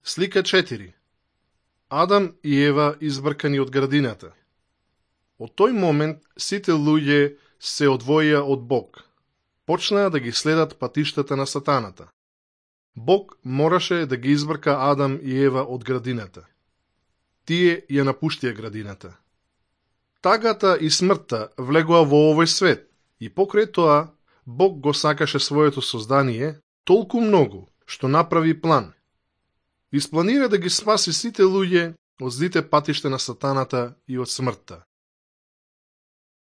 Слика 4. Адам и Ева избркани од градината. Од тој момент сите луѓе се одвоија од Бог. Почнаа да ги следат патиштата на сатаната. Бог мораше да ги избрка Адам и Ева од градината. Тие ја напуштија градината. Тагата и смртта влегоа во овој свет и покрај тоа Бог го сакаше своето создание толку многу што направи план. Испланира да ги спаси сите луѓе од злите патишта на сатаната и од смртта.